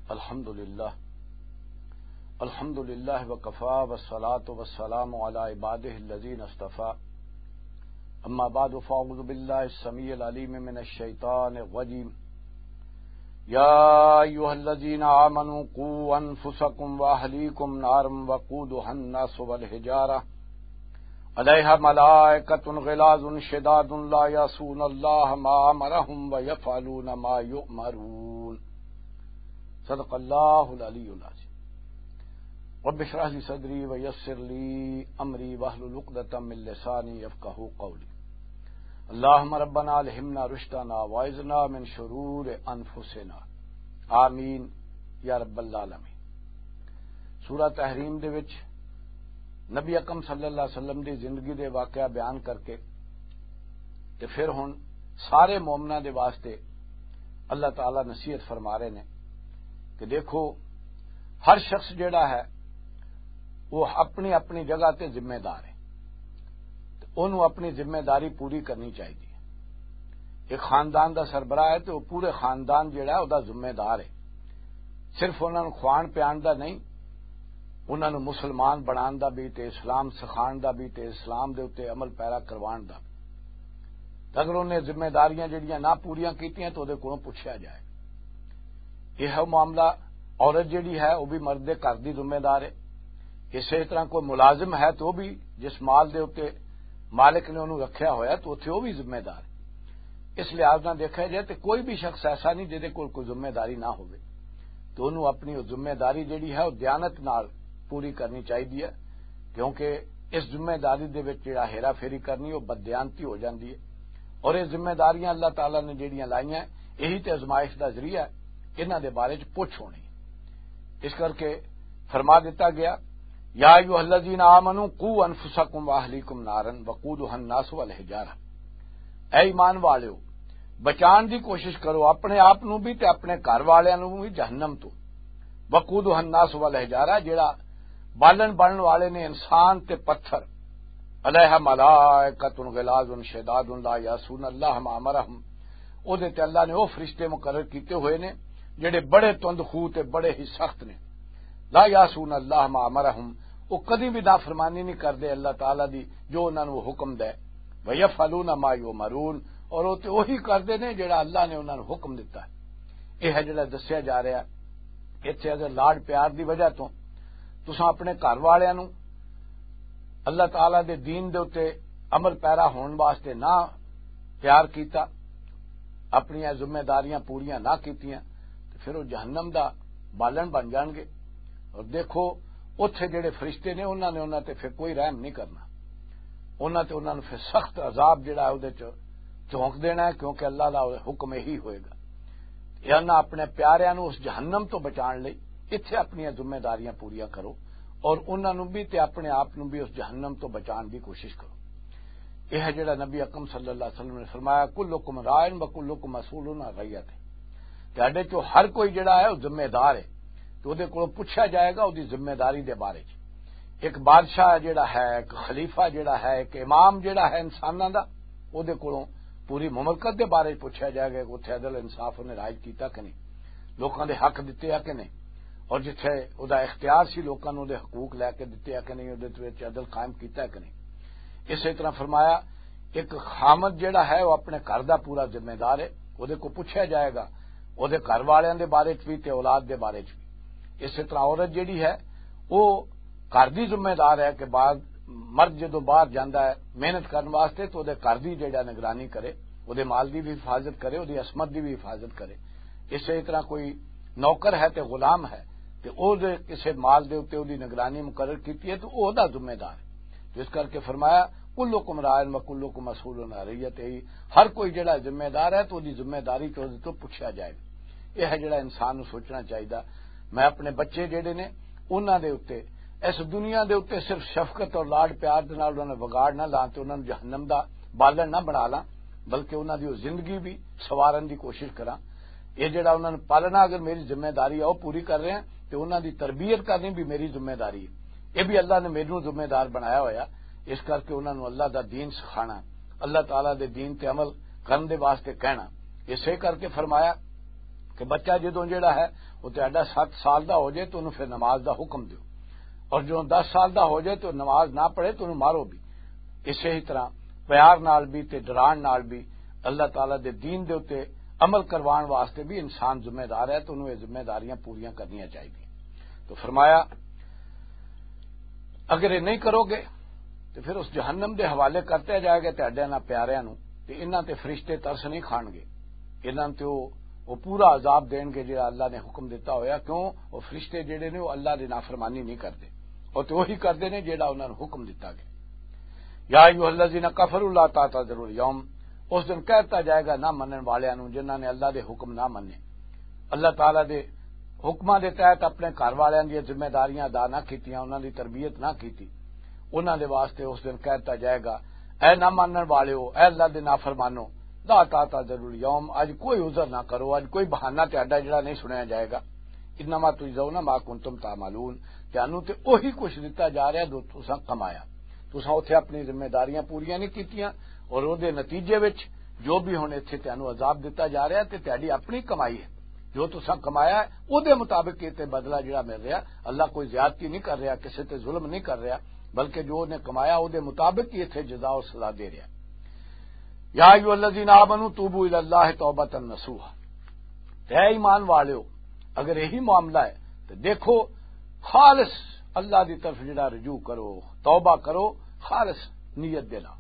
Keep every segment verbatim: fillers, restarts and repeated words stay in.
الحمد لله. الحمد لله وكفى، والصلاة والسلام على عباده الذين اصطفى. أما بعد، فأعوذ بالله السميع العليم من الشيطان الرجيم. يا أيها الذين آمنوا قوا أنفسكم وأهليكم نارا وقودها الناس والحجارة عليها ملائكة غلاظ شداد لا يعصون الله ما أمرهم ويفعلون ما يؤمرون. صدق الله العلي العظيم. رب اشرح لي صدري ويسر لي أمري واحلل عقدة من لساني يفقهوا قولي. اللهم ربنا ألهمنا رشدنا وأعذنا من شرور أنفسنا. آمين يا رب العالمين. سورہ تحریم دے وچ نبی اکرم صلی اللہ علیہ وسلم دی زندگی دے واقعہ بیان کر کے تے پھر ہن سارے مومناں دے واسطے اللہ تعالیٰ نصیحت فرما رہے نے کہ دیکھو، ہر شخص جڑا ہے، وہ اپنی اپنی جگہ تے ذمہ دار ہے، تے اونوں اپنی ذمہ داری پوری کرنی چاہیے۔ ایک خاندان دا سربراہ ہے تے وہ پورے خاندان جڑا ہے، او دا ذمہ دار ہے۔ صرف انہاں نوں کھوان پیان دا نہیں، انہاں نوں مسلمان بنان دا بھی، تے اسلام سکھان دا بھی، تے اسلام دے اُتے عمل پیرا کروان دا بھی۔ تے اگر انہیں ذمہ داریاں جڑیاں نہ پوریاں کیتیاں، تو دے کولوں پوچھیا جائے۔ یہ ہے معاملہ۔ عورت جڑی ہے، وہ بھی مرد دے گھر دی ذمہ دار ہے۔ اسی طرح کوئی ملازم ہے، تو وہ بھی جس مال دے اُتے مالک نے انہوں رکھیا ہویا، تو اتھے وہ بھی ذمہ دار ہے۔ اس لحاظ نہ دیکھا جائے تو کوئی بھی شخص ایسا نہیں جہدے کول کوئی ذمہ داری نہ ہوئے، تو انہوں اپنی وہ ذمہ داری جڑی ہے، وہ دیانت نال پوری کرنی چاہیے ہے، کیونکہ اس ذمہ داری دے وچ جڑا ہیرا پھیری کرنی، وہ بددیانتی ہو جاندی ہے۔ اور یہ ذمہ داریاں اللہ تعالیٰ نے جڑیاں لائیاں، یہی تے آزمائش دا ذریعہ ہے، انہاں دے بارے چ پوچھ ہونی۔ اس کر کے فرما دیتا گیا، یا ایھا الذین آمنوا قوا انفسکم واہلیکم نارا وقودها الناس والحجارہ۔ اے ایمان والیو، بچان دی کوشش کرو اپنے آپ نوں بھی تے اپنے گھر والیاں نوں بھی جہنم تو۔ وقودها الناس والحجارہ، جڑا بالن بنن والے نے انسان تے پتھر۔ علیہ ملائکۃ غلاظ شداد لا یعصون اللہ ما امرہم۔ او دے تے اللہ نے او فرشتے مقرر کیتے ہوئے نے جڑے بڑے تند خو تے بڑے ہی سخت نے۔ لا یعصون اللہ ما امرہم، وہ کدی بھی نافرمانی نہیں کردے اللہ تعالیٰ دی جو انہاں نوں حکم دے۔ ویفعلون ما یؤمرون، اور وہ تے وہی کردے نے جڑا اللہ نے انہاں نوں حکم دتا ہے۔ یہ ہے جڑا دسیا جا رہا ہے۔ اتھے اگر لاڈ پیار دی وجہ تو تساں اپنے گھر والیاں نوں اللہ تعالیٰ دے دین دے اُتے عمل پیرا ہون واسطے نہ تیار کیتا، اپنیاں ذمہ داریاں پوریاں نہ کیتیاں، تے پھر وہ جہنم دا بالن بن جان گے۔ اور دیکھو، اوتھے جڑے فرشتے نے، انہاں نے انہاں تے پھر کوئی رحم نہیں کرنا، انہاں تے انہاں نوں پھر سخت عذاب جڑا ہے، اودے چ جھونک دینا ہے، کیونکہ اللہ دا حکم یہی ہوئے گا۔ یا نہ اپنے پیاریاں نوں اس جہنم تو بچان لئی اتھے اپنیاں ذمہ داریاں پوریاں کرو، اور انہاں نوں بھی تے اپنے آپ نوں بھی اس جہنم تو بچان دی کوشش کرو۔ یہ ہے جڑا نبی اکرم صلی اللہ علیہ وسلم نے فرمایا، "کلکم راعٍ و کلکم مسئول عن رعیتہ۔" تہاڈے چوں ہر کوئی جڑا ہے، وہ ذمہ دار ہے، تو اودے کولوں پوچھا جائے گا اودی ذمہ داری دے بارے چ۔ ایک بادشاہ جڑا ہے، ایک خلیفہ جڑا ہے، ایک امام جڑا ہے انساناں دا، اودے کولوں پوری مملکت دے بارے چ پوچھا جائے گا کہ اتھے عدل انصاف انہیں راج کیتا کہ نہیں، لوکاں دے حق دتے آ کہ نہیں، اور جتھے او دا اختیار سی لوکاں نوں دے حقوق لے کے دتے آ کہ نہیں، اودے وچ عدل قائم کیتا ہے کہ نہیں۔ اسی طرح فرمایا، ایک خامد جڑا ہے، وہ اپنے گھر دا پورا ذمہ دار ہے، اودے کو پوچھا جائے گا، اودے گھر والیاں دے بارے چ بھی تے اولاد دے بارے چ بھی۔ اسی طرح عورت جڑی ہے، وہ گھر دی ذمہ دار ہے کہ بعد مرد جدوں باہر جاندا ہے محنت کرن واسطے، تو اودے گھر دی جڑا نگرانی کرے، اودے مال دی بھی حفاظت کرے، اودی عصمت دی بھی حفاظت کرے۔ اسی طرح کوئی نوکر ہے تے غلام ہے، تے او دے کسے مال دے اُتے اودی نگرانی مقرر کیتی ہے، تو او دا ذمہ دار ہے۔ تو اس کر کے فرمایا، "کلکم راعٍ و کلکم مسئول عن رعیتہ۔" ہر کوئی جڑا ذمہ دار ہے، تو اودی ذمہ داری تو اودے تو پوچھا جائے۔ یہ ہے جڑا انسان نوں سوچنا چاہیدا۔ میں اپنے بچے جڑے نے، انہاں دے اُتے، اس دنیا دے اُتے صرف شفقت اور لاڈ پیار دے نال انہاں نوں وگاڑ نہ لاں تے انہاں نوں جہنم دا بالن نہ بنا لاں، بلکہ انہاں دی وہ زندگی بھی سوارن دی کوشش کراں۔ یہ جڑا انہاں نوں پالنا اگر میری ذمہ داری ہے، وہ پوری کر رہے ہیں، تے انہاں دی تربیت کرنی بھی میری ذمہ داری ہے۔ یہ بھی اللہ نے میرے نوں ذمہ دار بنایا ہویا، اس کر کے انہاں نوں اللہ دا دین سکھانا، اللہ تعالیٰ دے دین تے عمل کرن دے واسطے کہنا۔ اسے کر کے فرمایا، کہ بچہ جدوں جڑا ہے، وہ تہاڈا ست سال دا ہو جائے تو انہوں پھر نماز دا حکم دیو، اور جدوں دس سال دا ہو جائے تو نماز نہ پڑھے تو انہوں مارو بھی۔ اسے ہی طرح پیار نال بھی تے ڈران نال بھی اللہ تعالیٰ دے دین دے اُتے عمل کروان واسطے بھی انسان ذمہ دار ہے، تو انہوں یہ ذمہ داریاں پوریاں کرنیاں چاہیدیاں۔ تو فرمایا، اگر یہ نہیں کرو گے تو پھر اس جہنم دے حوالے کرتے جائے گا تہاڈے انہاں پیاریاں نوں، تے انہاں تے فرشتے ترس نہیں کھان گے۔ انہاں تے وہ، وہ پورا عذاب دین گے جڑا اللہ نے حکم دتا ہویا۔ کیوں؟ وہ فرشتے جڑے نے، وہ اللہ دی نافرمانی نہیں کردے، اور تے وہی کردے نے جڑا انہاں نوں حکم دتا گیا۔ یا ایھا الذین کفروا لا تعتذروا الیوم، اس دن کہتا جائے گا نہ منن والیاں نوں، جنہاں نے اللہ دے حکم نہ مننے، اللہ تعالیٰ دے حکماں دے تحت اپنے گھر والیاں دی ذمہ داریاں ادا نہ کیتیاں، انہاں دی تربیت نہ کیتی، انہاں دے واسطے اس دن کہتا جائے گا، اے نہ مانن والےو، اے اللہ دے نافرمانو، لا تعتذروا الیوم، اج کوئی عذر نہ کرو، اج کوئی بہانہ تہاڈا جڑا نہیں سنیا جائے گا۔ انما تجزون ما کنتم تعملون، تانوں تے اوہی کچھ دتا جا رہا جو تساں کمایا۔ تساں اوتھے اپنی ذمہ داریاں پوریاں نہیں کیتیاں، اور او دے نتیجے وچ جو بھی ہن ایتھے تانوں عذاب دتا جا رہا تے تہاڈی اپنی کمائی ہے۔ جو تساں کمایا ہے، او دے مطابق یہ تے بدلہ جڑا مل رہا۔ اللہ کوئی زیادتی نہیں کر رہا، کسے تے ظلم نہیں کر رہا، بلکہ جو انہیں کمایا، او دے مطابق ہی ایتھے جزا اور سزا دے رہا۔ یا ایھا الذین آمنوا توبوا الی اللہ توبۃ نصوحا۔ اے ایمان والےو، اگر یہی معاملہ ہے تو دیکھو، خالص اللہ دی طرف جڑا رجوع کرو، توبہ کرو، خالص نیت دے نال۔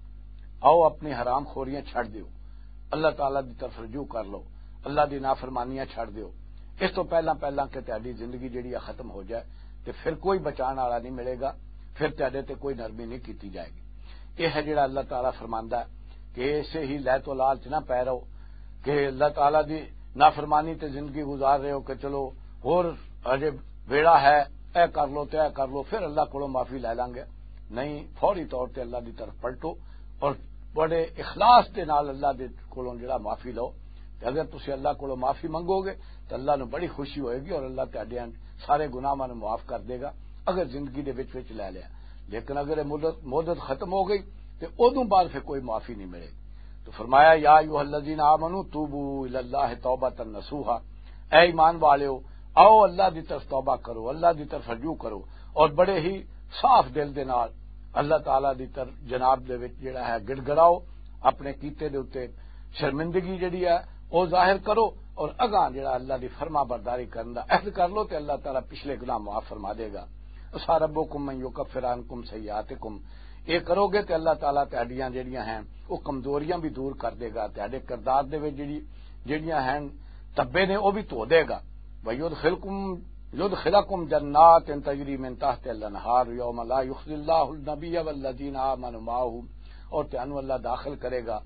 آؤ اپنی حرام خوریاں چھڈ دیو، اللہ تعالیٰ دی طرف رجوع کر لو، اللہ دی نافرمانیاں چھڈ دیو۔ اس تو پہلاں پہلاں کہ تہاڈی زندگی جڑی ہے ختم ہو جائے، تے پھر کوئی بچان والا نہیں ملے گا، پھر تہاڈے تے کوئی نرمی نہیں کیتی جائے گی۔ یہ ہے جڑا اللہ تعالیٰ فرماندا ہے کہ اسے ہی لے تو لالچ نہ پے رہو کہ اللہ تعالیٰ دی نافرمانی تے زندگی گزار رہے ہو کہ چلو ہور اجے ویڑا ہے، اے کر لو تے اے کر لو، پھر اللہ کولوں معافی لے لانگے۔ نہیں، فوری طور تے اللہ دی طرف پلٹو اور بڑے اخلاص دے نال اللہ دے کولوں جڑا معافی لو۔ تے اگر تسی اللہ کولوں معافی منگو گے تے اللہ نوں بڑی خوشی ہوئے گی اور اللہ تہاڈے سارے گناہاں نوں معاف کر دے گا، اگر زندگی دے وچ وچ لے لیا۔ لیکن اگر یہ مدت، مدت ختم ہو گئی تے اودوں بعد پھر کوئی معافی نہیں ملے۔ تو فرمایا، یا ایھا الذین آمنوا توبوا الی اللہ توبۃ نصوحا، اے ایمان والےو، آؤ اللہ دی طرف توبہ کرو، اللہ دی طرف رجوع کرو، اور بڑے ہی صاف دل دے نال اللہ تعالیٰ دی طرف جناب دے وچ جڑا ہے گڑگڑاؤ، اپنے کیتے دے اُتے شرمندگی جڑی ہے او ظاہر کرو، اور اگاں جڑا اللہ دی فرما برداری کرن دا عہد کر لو تے اللہ تعالیٰ پچھلے گناہ معاف فرما دے گا۔ عسیٰ ربکم ان یکفر عنکم سیئاتکم، اے کرو گے تے اللہ تعالیٰ تہاڈیاں جڑیاں ہیں او کمزوریاں بھی دور کر دے گا، تہاڈے کردار دے وچ جڑی، جڑیاں ہیں تبے نے او بھی دھو دے گا۔ ویدخلکم، یدخلکم جنات تجری من تحت الانہار یوم لا یخزی اللہ النبی والذین آمنوا معہ، اور تانوں اللہ داخل کرے گا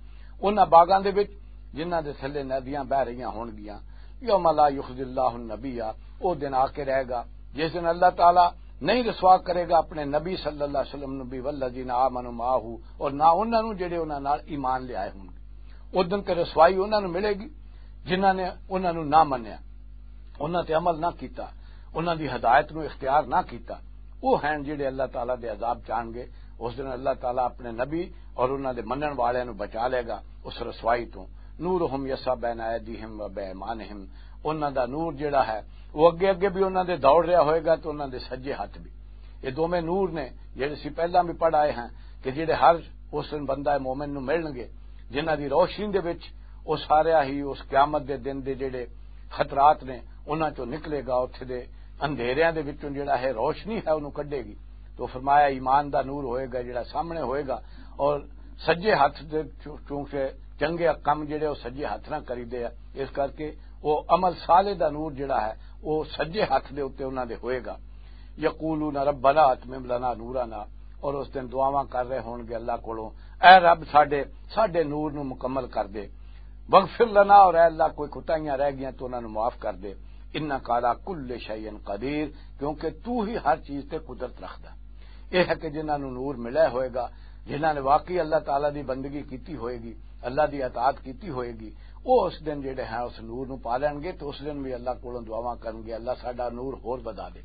انہاں باغاں دے وچ جنہاں دے تھلے ندیاں بہ رہیاں ہون گیاں۔ یوم لا یخزی اللہ النبی، او دن آ کے رہے گا جس دن اللہ تعالیٰ نہیں رسوا کرے گا اپنے نبی صلی اللہ علیہ وسلم نبی والذین آمنوا معہ، اور نہ انہاں نوں جڑے انہاں نال ایمان لے آئے ہون گے۔ اس دن تے رسوائی انہاں نوں ملے گی جنہاں نے انہاں نوں نہ منیا، انہاں تے عمل نہ کیتا، انہاں دی ہدایت نوں اختیار نہ کیتا۔ وہ ہیں جڑے اللہ تعالیٰ دے عذاب چان گے۔ اس دن اللہ تعالیٰ اپنے نبی اور انہاں دے منن والے نوں بچا لے گا اس رسوائی تو۔ نورہم یسعی بین ایدیہم و بایمانہم، انہاں دا نور جڑا ہے وہ اگے اگے بھی انہاں دے دوڑ رہا ہوئے گا تو انہاں دے سجے ہاتھ بھی۔ یہ دوویں نور نے جڑے سی پہلاں بھی پڑھ آئے ہیں کہ جڑے ہر اس دن بندہ مومن نوں ملن گے، جنہاں دی روشنی دے وچ وہ سارا ہی اس قیامت دے دن دے جڑے خطرات نے انہاں چوں نکلے گا، اتھے دے اندھیریاں دے وچوں جڑا ہے روشنی ہے انہوں کڈے گی۔ تو فرمایا ایمان دا نور ہوئے گا جڑا سامنے ہوئے گا، اور سجے ہاتھ دے چوں-، چونکہ چنگے کم جڑے وہ سجے ہاتھ نہ کری دے، اس کر کے وہ عمل صالح دا نور جڑا ہے وہ سجے ہاتھ دے اُتے انہاں دے ہوئے گا۔ یقولون ربنا اتمم لنا نورنا، اور اس دن دعاواں کر رہے ہون گے اللہ کولوں، اے رب ساڈے، ساڈے نور نو مکمل کر دے۔ واغفر لنا، اور اے اللہ کوئی کوتاہیاں رہ گیاں تو انہاں نو معاف کر دے۔ انک علی کل شیء قدیر، کیونکہ تو ہی ہر چیز تے قدرت رکھدا۔ یہ ہے کہ جنہاں نو نور ملیا ہوئے گا، جنہاں نے واقعی اللہ تعالیٰ دی بندگی کیتی ہوئے گی، اللہ دی اطاعت کیتی ہوئے گی، وہ اس دن جڑے ہیں اس نور نو پا لین گے، تو اس دن بھی اللہ کولوں دعاواں کرن گے، اللہ ساڈا نور ہور ودا دے۔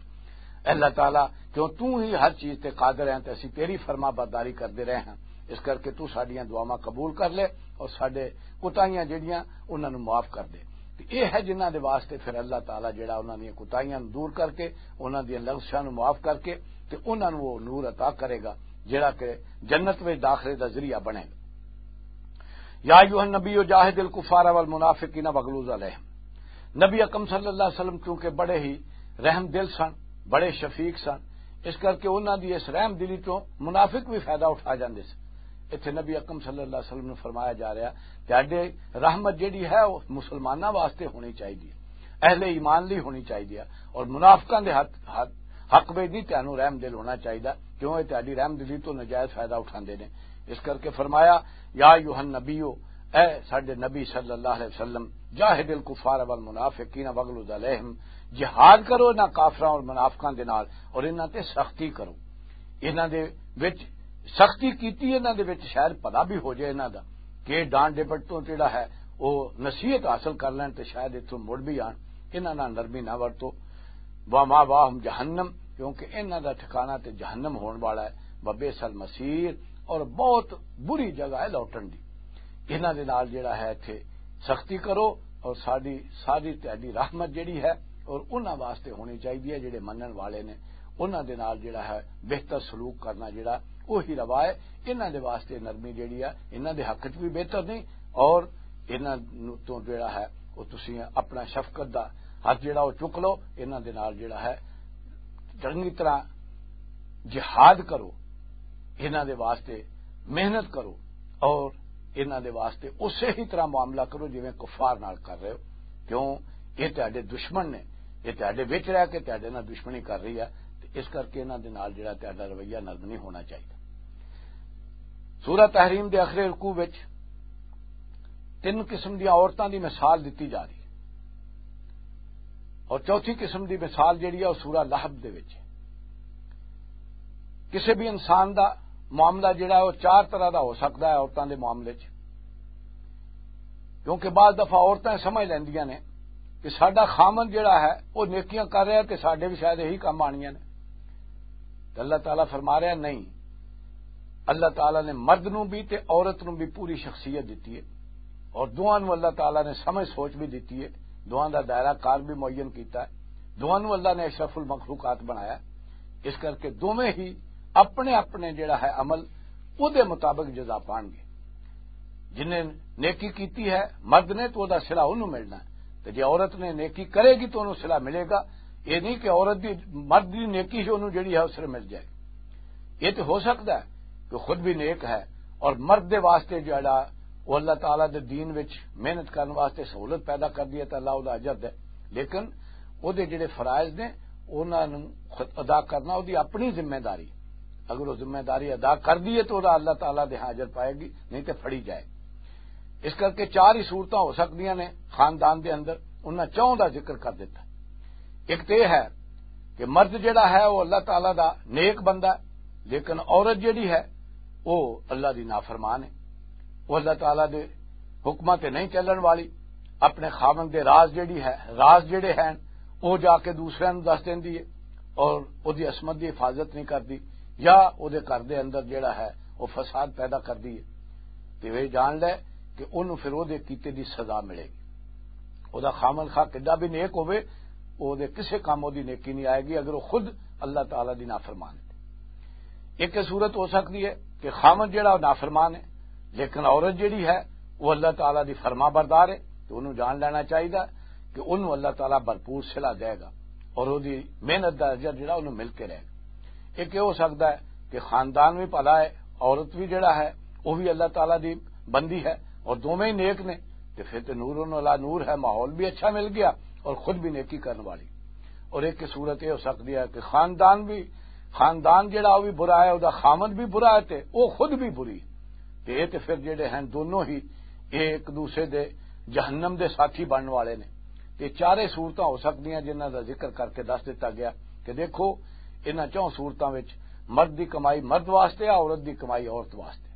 اے اللہ تعالیٰ، کیوں تو ہی ہر چیز تے قادر ہیں تے اسی تیری فرما برداری کردے رہے ہیں، اس کر کے تو ساڈیاں دعاواں قبول کر لے اور ساڈے کوتاہیاں جڑیاں انہاں نو معاف کر دے۔ تے یہ ہے جنہاں دے واسطے پھر اللہ تعالیٰ جڑا انہاں دیاں کوتاہیاں نوں دور کر کے، انہاں دیاں لغزشاں نوں معاف کر کے، تے انہاں نوں وہ نور عطا کرے گا جڑا کہ جنت وچ داخلے دا ذریعہ بنے گا۔ یا ایھا النبی جاہد الکفار والمنافقین واغلظ علیہم۔ نبی اکرم صلی اللہ علیہ وسلم چونکہ بڑے ہی رحم دل سن، بڑے شفیق سن، اس کر کے انہاں دی اس رحم دلی چوں منافق بھی فائدہ اٹھا جاندے سن۔ اتھے نبی اکرم صلی اللہ علیہ وسلم نے فرمایا جا رہا، تہاڈے رحمت جڑی ہے وہ مسلماناں واسطے ہونی چاہیے، اہل ایمان لئی ہونی چاہیے، اور منافقاں دے حق حق حق وچ نہیں تہانوں رحم دل ہونا چاہیے، کیوں یہ تہاڈی رحم دلی تو نجائز فائدہ اٹھاندے نے۔ اس کر کے فرمایا، یا ایھا النبی، اے ساڈے نبی صلی اللہ علیہ وسلم، جاہد الکفار والمنافقین واغلظ علیہم، جہاد کرو انہاں کافراں اور منافقاں دے نال، اور انہاں تے سختی کرو۔ انہاں دے وچ سختی کیتی، انہاں دے وچ شاید بھلا بھی ہو جائے انہاں دا، کہ ڈانٹ ڈپٹ تو جڑا ہے وہ نصیحت حاصل کر لین تے شاید اتھوں مڑ بھی آن۔ انہاں نال نرمی نہ ورتو۔ وما واہم جہنم، کیونکہ انہاں دا ٹھکانہ تے جہنم ہون والا ہے۔ وبئس المصیر، اور بہت بری جگہ ہے لوٹن دی۔ انہاں دے نال جڑا ہے اتھے سختی کرو، اور ساری ساری تہاڈی رحمت جڑی ہے اور انہاں واسطے ہونی چاہیے ہے جڑے منن والے نے، انہاں دے نال جڑا ہے بہتر سلوک کرنا جڑا وہی روا ہے۔ انہاں دے واسطے نرمی جڑی ہے انہاں دے حق وچ بھی بہتر نہیں، اور انہاں نوں تو جڑا ہے وہ تسی اپنا شفقت دا ہاتھ جڑا وہ چک لو، انہاں دے نال جڑا ہے چنگی طرح جہاد کرو، انہاں دے واسطے محنت کرو، اور انہاں دے واسطے اسے ہی طرح معاملہ کرو جویں کفار نال کر رہے ہو۔ کیوں؟ یہ تہاڈے دشمن نے، یہ تہاڈے وچ رہ کے تہاڈے نال دشمنی کر رہی ہے، تے اس کر کے انہاں دے نال جڑا تہاڈا رویہ نرم نہیں ہونا چاہیے۔ سورہ تحریم دے آخری رکوع وچ تین قسم دیاں عورتاں دی مثال دتی جا رہی ہے، اور چوتھی قسم دی مثال جڑی ہے وہ سورہ لہب دے وچ ہے۔ کسی بھی انسان دا معاملہ جڑا ہے وہ چار طرح دا ہو سکدا ہے عورتاں دے معاملے چ، کیونکہ بعض دفعہ عورتاں سمجھ لیندیاں نے کہ ساڈا خامن جڑا ہے وہ نیکیاں کر رہا ہے تے ساڈے بھی شاید یہی کم آنیاں نے۔ تے اللہ تعالیٰ فرما رہا نہیں، اللہ تعالیٰ نے مرد نوں بھی تے عورت نوں بھی پوری شخصیت دتی ہے، اور دعا نوں اللہ تعالیٰ نے سمجھ سوچ بھی دتی ہے، دعا دا دائرہ کار بھی معین کیتا ہے، دعا نوں اللہ نے اشرف المخلوقات بنایا ہے۔ اس کر کے دوویں ہی اپنے اپنے جڑا ہے عمل، او دے مطابق جزا پان گے۔ جن نے نیکی کیتی ہے مرد نے تو دا صلہ انہوں ملنا ہے، تے جے عورت نے نیکی کرے گی تو انہوں صلہ ملے گا۔ یہ نہیں کہ عورت دی، مرد دی نیکی ہی انہوں جڑی ہے اس سے مل جائے۔ یہ تو ہو سکتا ہے کہ خود بھی نیک ہے اور مرد دے واسطے جڑا وہ اللہ تعالیٰ دے دین وچ محنت کرن واسطے سہولت پیدا کر دی ہے تو اللہ او دا اجر دے، لیکن او دے جڑے فرائض نے انہاں نوں خود ادا کرنا او دی اپنی ذمہ داری۔ اگر وہ ذمہ داری ادا کر دیے تو وہ اللہ تعالیٰ دے ہاں اجر پائے گی، نہیں تے پھڑی جائے۔ اس کر کے چار ہی صورتاں ہو سکدیاں نے خاندان دے اندر، انہاں چاہوں دا ذکر کر دیتا۔ ایک تے ہے کہ مرد جڑا ہے وہ اللہ تعالیٰ دا نیک بندہ ہے، لیکن عورت جڑی ہے وہ اللہ دی نافرمان ہے، وہ اللہ تعالیٰ دے حکماں تے نہیں چلن والی، اپنے خاوند دے راز جڑی ہے، راز جڑے ہیں، وہ جا کے دوسرے نوں دس دیندی ہے اور وہ دی عصمت دی حفاظت نہیں کردی، یا وہ دے گھر دے اندر جڑا ہے وہ فساد پیدا کردی ہے۔ تے وہ جان لے کہ انہوں پھر وہ دے کیتے دی سزا ملے گی۔ وہ دا خاوند خواہ کڈا بھی نیک ہوئے، وہ دے کسے کام وہ دی نیکی نہیں آئے گی اگر وہ خود اللہ تعالیٰ دی نافرمان ہے۔ ایک یہ صورت ہو سکتی ہے کہ خاوند جڑا وہ نافرمان ہے، لیکن عورت جڑی ہے وہ اللہ تعالیٰ دی فرما بردار ہے، تو انہوں جان لینا چاہیے کہ انہوں اللہ تعالیٰ بھرپور صلہ دے گا اور وہ دی محنت دا اجر جڑا انہوں مل کے رہے گا۔ ایک یہ ہو سکتا ہے کہ خاندان بھی بھلا ہے، عورت بھی جڑا ہے وہ بھی اللہ تعالیٰ دی بندی ہے اور دوویں ہی نیک نے، تے پھر تے نور علی نور ہے، ماحول بھی اچھا مل گیا اور خود بھی نیکی کرن والی۔ اور ایک صورت یہ ہو سکتی ہے کہ خاندان بھی، خاندان جڑا وہ بھی برا ہے، وہ دا خامد بھی برا ہے تے وہ خود بھی بری، تے یہ تے پھر جڑے ہیں دونوں ہی ایک دوسرے دے جہنم دے ساتھی بنن والے نے۔ تے چارے صورتاں ہو سکدیاں جنہاں دا ذکر کر کے دس دتا گیا کہ دیکھو، انہاں چوں صورتاں وچ مرد دی کمائی مرد واسطے آ، عورت دی کمائی عورت واسطے۔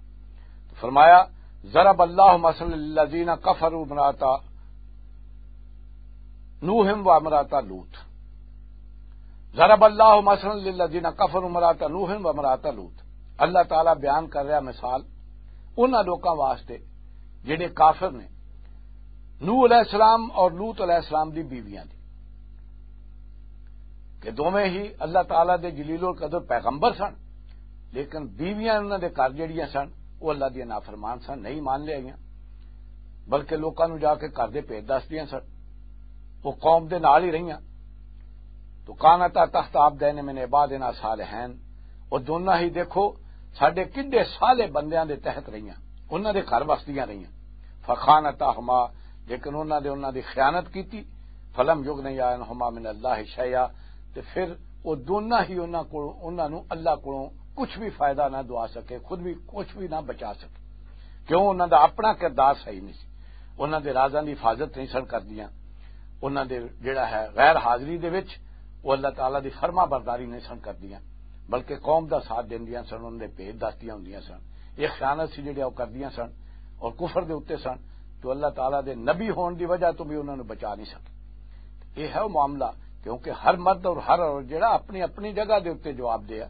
فرمایا، ضرب اللہ مثلا للذین کفروا امرأتا نوح و امرأتا لوط۔ ضرب اللہ مثلا للذین کفروا امرأتا نوح و امرأتا لوط۔ اللہ تعالیٰ بیان کر رہا مثال انہاں لوکاں واسطے جڑے کافر نے، نوح علیہ السلام اور لوط علیہ السلام دی بیویاں دی، کہ دوویں ہی اللہ تعالیٰ دے جلیل القدر پیغمبر سن، لیکن بیویاں انہاں دے گھر جڑیاں سن، وہ اللہ دیاں نافرمان سن، نہیں مان لے آئیاں، بلکہ لوکاں نوں جا کے گھر دے بھید دسدیاں سن۔ وہ قوم دے نال ہی رہیاں۔ تو کانتا تحت عبدین من عبادنا صالحین، وہ دونوں ہی، دیکھو، ساڈے کڈے صالح بندیاں دے تحت رہیاں، انہاں دے گھر وسدیاں رہیاں۔ فخانتاہما، لیکن انہاں دے، انہاں دی خیانت کیتی۔ فلم یغنیا عنہما من اللہ شیئا، تے پھر وہ دونوں ہی انہاں کول، انہاں نوں اللہ کولوں کچھ بھی فائدہ نہ دوا سکے، خود بھی کچھ بھی نہ بچا سکے۔ کیوں؟ انہاں دا اپنا کردار صحیح نہیں سی، انہاں دے رازاں دی حفاظت نہیں سن کردیاں، انہاں دے جڑا ہے غیر حاضری دے وچ وہ اللہ تعالیٰ دی فرما برداری نہیں سن کردیاں، بلکہ قوم دا ساتھ دیندیاں سن، انہاں دے بھید دستیاں ہوندیاں سن۔ یہ خیانت سی جڑیاں وہ کردیاں سن اور کفر دے اُتے سن، تو اللہ تعالیٰ دے نبی ہون دی وجہ تو بھی انہاں نوں بچا نہیں سکے۔ یہ ہے وہ معاملہ، کیونکہ ہر مرد اور ہر عورت جڑا اپنی اپنی جگہ دے اُتے جواب دے ہے۔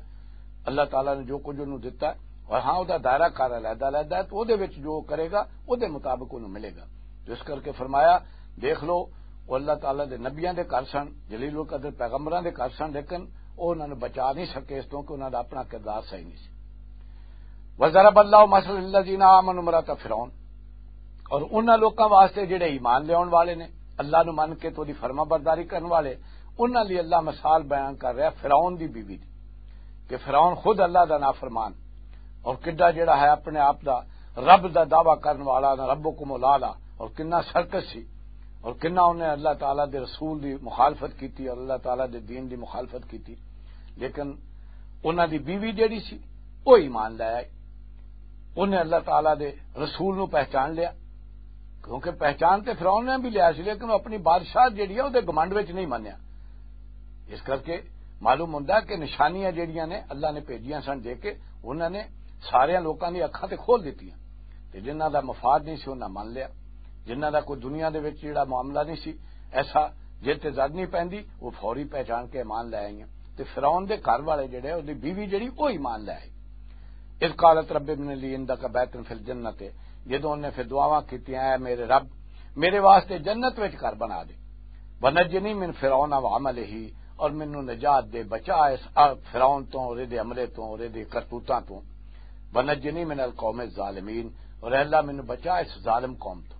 اللہ تعالیٰ نے جو کچھ انہوں دتا ہے، اور ہاں، وہ دائرہ کار علیحدہ علیحدہ ہے، تو وہ دے وچ جو کرے گا، وہ دے مطابق انہوں ملے گا۔ تو اس کر کے فرمایا، دیکھ لو، وہ اللہ تعالیٰ دے نبیاں دے گھر سن، جلیل القدر پیغمبراں دے گھر سن، لیکن وہ انہاں نوں بچا نہیں سکے اس تو کہ انہاں دا اپنا کردار صحیح نہیں سی۔ وضرب اللہ مثل الذین آمنوا امرأۃ فرعون، اور انہاں لوکاں واسطے جڑے ایمان لیاون والے نے، اللہ نوں من کے تو دی فرما برداری کرن والے، انہاں لئی اللہ مثال بیان کر رہا فرعون دی بیوی دی، کہ فرعون خود اللہ دا نافرمان، اور کڈا جڑا ہے اپنے آپ دا رب دا دعویٰ کرن والا، نہ ربکم الاعلی، اور کنا سرکش سی، اور کنا انہیں اللہ تعالیٰ دے رسول دی مخالفت کیتی اور اللہ تعالیٰ دے دین دی مخالفت کیتی۔ لیکن انہاں دی بیوی جڑی سی، وہ ایمان لے آئی، انہیں اللہ تعالیٰ دے رسول نو پہچان لیا، کیونکہ پہچان تے فرعون نے بھی لیا سی، لیکن وہ اپنی بادشاہت جڑی ہے، وہ گمنڈ وچ نہیں منیا۔ اس کر کے معلوم ہوندا کہ نشانیاں جڑیاں نے اللہ نے بھیجیاں سن دے کے، انہاں نے سارے لوکاں دی اکھاں تے کھول دتیاں، تے جنہاں دا مفاد نہیں سی، انہاں من لیا۔ جنہاں دا کوئی دنیا دے وچ جڑا معاملہ نہیں سی ایسا، جے تے زد نہیں پیندی، وہ فوری پہچان کے ایمان لے آئیاں۔ تے فرعون دے گھر والے جڑے، اودی بیوی جڑی، وہ ایمان لے آئی۔ اذ قالت رب ابن لی عندک بیتا فی الجنت، جدوں انہیں پھر دعاواں کیتیاں، اے میرے رب، میرے واسطے جنت وچ گھر بنا دے۔ ونجنی من فرعون و عملہ، اور مینوں نجات دے، بچا اس فرعون تو اور دے عملے تو اور دے کرتوتاں تو۔ ونجنی من القوم الظالمین، اور اے اللہ مینوں بچا اس ظالم قوم تو۔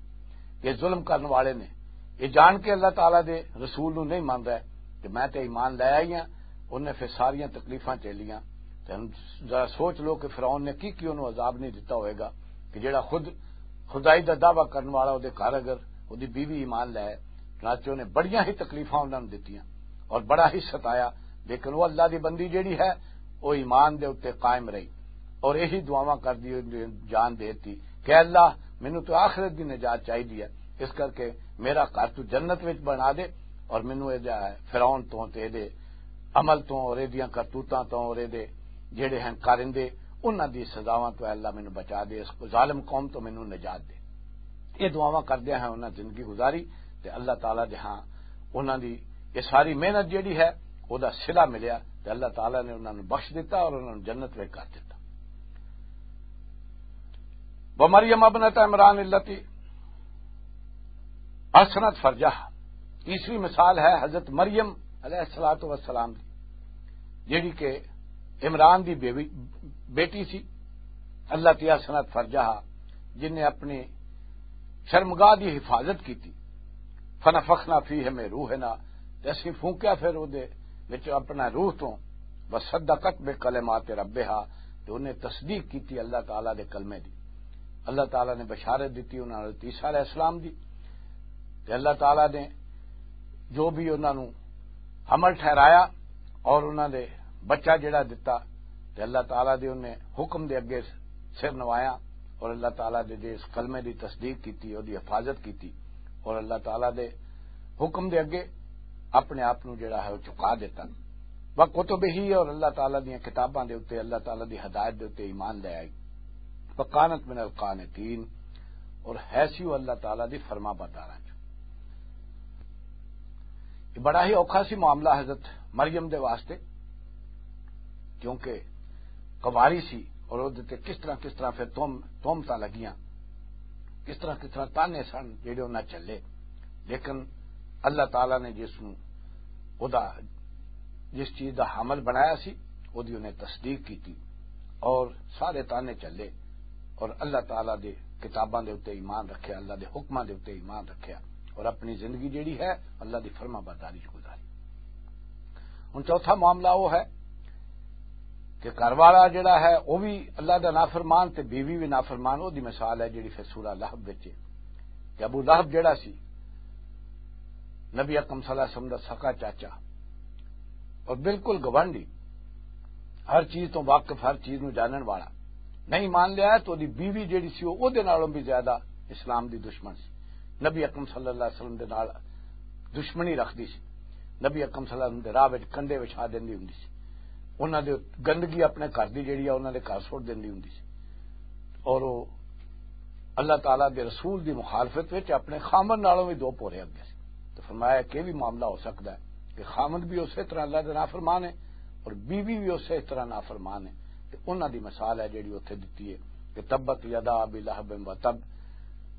یہ ظلم کرن والے نے، یہ جان کے اللہ تعالیٰ دے رسول نوں نہیں مان رہے کہ میں تے ایمان لے آئی ہاں۔ انہیں پھر ساریاں تکلیفاں جھیلیاں۔ تے ہن ذرا سوچ لو کہ فرعون نے کی کی انہوں عذاب نہیں دتا ہوئے گا، کہ جڑا خود خدائی دا دعویٰ کرن والا، وہ دے گھر اگر وہ دی بیوی ایمان لے آئے، چنانچہ انہیں بڑیاں ہی تکلیفاں انہوں نے دتیاں اور بڑا ہی ستایا، لیکن وہ اللہ دی بندی جڑی ہے، وہ ایمان دے اُتے قائم رہی اور یہی دعاواں کردی ہوئی جان دے دتی کہ اللہ، مینوں تو آخرت دی نجات چاہیدی ہے، اس کر کے میرا گھر تو جنت وچ بنا دے اور مینوں اے جا فرعون تو تے دے عمل تو اور اے دیاں کرتوتاں تو اور اے دے جڑے ہیں کارندے، انہاں دی سزاواں تو اے اللہ مینوں بچا دے، اس ظالم قوم تو مینوں نجات دے۔ یہ دعاواں کردیاں ہیں انہاں زندگی گزاری، تے اللہ تعالیٰ دے ہاں انہاں دی یہ ساری محنت جڑی ہے، او دا صلہ ملیا، تے اللہ تعالیٰ نے انہاں نوں بخش دتا اور انہاں نوں جنت وچ کر دتا۔ ومریم ابنت عمران التی احسنت فرجہ، تیسری مثال ہے حضرت مریم علیہ الصلوۃ والسلام دی، جڑی کہ عمران دی بیوی، بیٹی سی، اللہ تی احسنت فرجہ، جن نے اپنی شرمگاہ دی حفاظت کیتی۔ فنفخنا فیہ من روحنا، تے اسی پھونکیا پھر او دے وچ اپنا روح تو، وصدقت بکلمات ربہا، تے انہیں تصدیق کیتی اللہ تعالیٰ دے کلمے دی۔ اللہ تعالیٰ نے بشارت دیتی انہاں حضرت عیسیٰ علیہ السلام دی، تے اللہ تعالیٰ نے جو بھی انہاں نوں حمل ٹھہرایا اور انہاں دے بچہ جڑا دتا، تے اللہ تعالیٰ دے انہیں حکم دے اگے سر نوایا اور اللہ تعالیٰ دے دے اس کلمے دی تصدیق کیتی، او دی حفاظت کیتی اور اللہ تعالیٰ دے حکم دے اگے اپنے آپ نوں جڑا ہے وہ چکا دیتا۔ وکتبہ، اور اللہ تعالیٰ دیاں کتاباں دے اُتے، اللہ تعالیٰ دی ہدایت دے اُتے ایمان لے آئی۔ وکانت من القانتین، اور ہے سی وہ اللہ تعالیٰ دی فرما برداراں چوں۔ یہ بڑا ہی اوکھا سی معاملہ حضرت مریم دے واسطے، کیونکہ کنواری سی اور وہ تے کس طرح، کس طرح پھر تہم-، تہمتاں لگیاں۔ کس طرح کس طرح تانے سن جڑے انہاں چلے، لیکن اللہ تعالیٰ نے جس نوں او دا جس چیز دا حامل بنایا سی، او دی انہیں تصدیق کیتی اور سارے تانے چلے اور اللہ تعالیٰ دے کتاباں دے اُتے ایمان رکھیا، اللہ دے حکماں دے اُتے ایمان رکھیا اور اپنی زندگی جڑی ہے اللہ دی فرما برداری چ گزاری۔ ہن چوتھا معاملہ وہ ہے کہ گھر والا جڑا ہے وہ بھی اللہ دا نافرمان تے بیوی بھی نافرمان۔ وہ دی مثال ہے جڑی پھر سورہ لہب وچ ہے کہ ابو لہب جڑا سی نبی اکرم صلی اللہ علیہ وسلم دا سکا چاچا اور بالکل گوانڈی، ہر چیز تو واقف، ہر چیز نو جانن والا، نہیں مان لیا تو دی بیوی جڑی سی وہ دے نالوں بھی زیادہ اسلام دی دشمن سی۔ نبی اکرم صلی اللہ علیہ وسلم دے نال دشمنی رکھدی سی۔ نبی اکرم صلی اللہ علیہ وسلم دے راہ وچ کنڈے وچھا دیندی ہوندی سی۔ انہاں دے گندگی اپنے گھر دی جڑی ہے انہاں دے گھر سٹ دیندی ہوندی سی۔ اور وہ اللہ تعالیٰ دے رسول دی مخالفت وچ اپنے خامن نالوں بھی دو پورے اگے سی۔ تو فرمایا کہ یہ بھی معاملہ ہو سکتا ہے کہ خامن بھی اسی طرح اللہ دے نافرمان ہے اور بیوی بھی اسی طرح نافرمان ہے۔ تے انہاں دی مثال ہے جڑی اوتھے دتی ہے کہ تبت یدا ابی لہب و تب،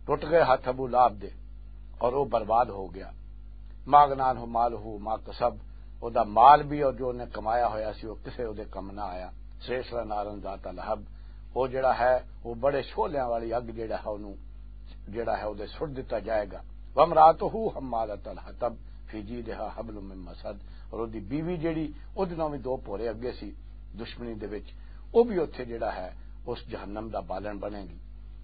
ٹوٹ گئے ہاتھ ابو لہب دے اور وہ برباد ہو گیا۔ ما اغنی عنہ مالہ ما کسب، او دا مال بھی اور جو انہیں کمایا ہویا سی وہ کسے او دے کم نہ آیا۔ سیسلا نارن ذات لہب، وہ جڑا ہے وہ بڑے شولیاں والی اگ جڑا ہے انہوں جڑا ہے وہ سٹ دتا جائے گا۔ وامراتہ حمالۃ الحطب، فی جیدہا حبل من مسد، اور وہ بیوی جڑی وہ دنوں بھی دو پورے اگے سی دشمنی دے وچ، وہ بھی اتھے جڑا ہے اس جہنم دا بالن بنے گی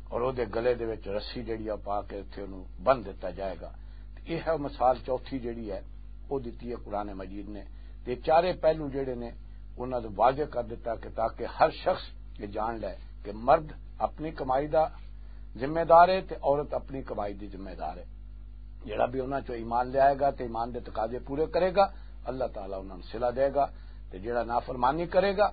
اور وہ گلے دے وچ رسی جڑی ہے پا کے اتھے انہوں بن دتا جائے گا۔ تے یہ ہے مثال چوتھی جڑی ہے وہ دتی ہے قرآن مجید نے۔ تے چارے پہلو جڑے نے انہاں نوں واضح کر دتا کہ تاکہ ہر شخص یہ جان لے کہ مرد اپنی کمائی دا ذمہ دار ہے تے عورت اپنی کمائی دی ذمہ دار ہے۔ جڑا بھی انہاں چوں ایمان لے آئے گا تے ایمان دے تقاضے پورے کرے گا، اللہ تعالیٰ انہاں نوں صلہ دے گا۔ تے جڑا نافرمانی کرے گا،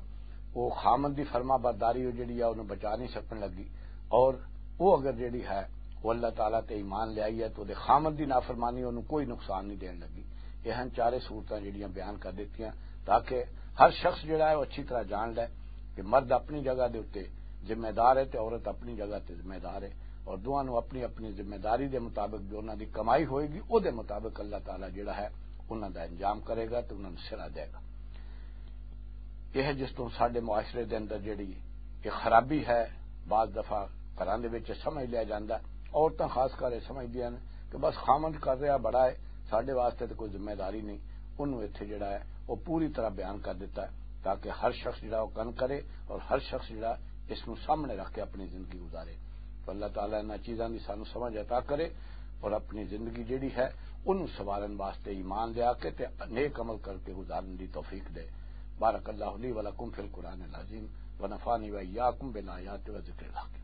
وہ خامن دی فرما برداری وہ جڑی ہے انہوں بچا نہیں سکن لگی۔ اور وہ اگر جڑی ہے وہ اللہ تعالیٰ تے ایمان لے آئی ہے تو دے خامن دی نافرمانی انہوں کوئی نقصان نہیں دین لگی۔ یہ ہن چارے صورتاں جڑیاں بیان کر دتیاں تاکہ ہر شخص جڑا ہے وہ اچھی طرح جان لے کہ مرد اپنی جگہ دے اُتے ذمہ دار ہے تے عورت اپنی جگہ تے ذمہ دار ہے، اور دوواں نوں اپنی اپنی ذمہ داری دے مطابق جو انہاں دی کمائی ہوئے گی، او دے مطابق اللہ تعالیٰ جڑا ہے انہاں دا انجام کرے گا تے انہاں نوں سرا دے گا۔ یہ ہے جس تو ساڈے معاشرے دے اندر جڑی یہ خرابی ہے، بعض دفعہ گھراں دے وچ سمجھ لیا جاندا ہے، عورتاں خاص کر یہ سمجھدیاں نے کہ بس خامند کر رہا بڑا ہے، ساڈے واسطے تے کوئی ذمہ داری نہیں۔ انہوں اتھے جڑا ہے وہ پوری طرح بیان کر دیتا ہے تاکہ ہر شخص جڑا وہ کن کرے اور ہر شخص جڑا اس نوں سامنے رکھ کے اپنی زندگی گزارے۔ تو اللہ تعالیٰ انہاں چیزاں دی سانوں سمجھ عطا کرے اور اپنی زندگی جڑی ہے انہوں سوارن واسطے ایمان لیا کے تے نیک عمل کر کے گزارن دی توفیق دے۔ بارک اللہ لی ولکم فی القرآن العظیم ونفعنی و ایاکم بالآیات و ذکر الحکیم۔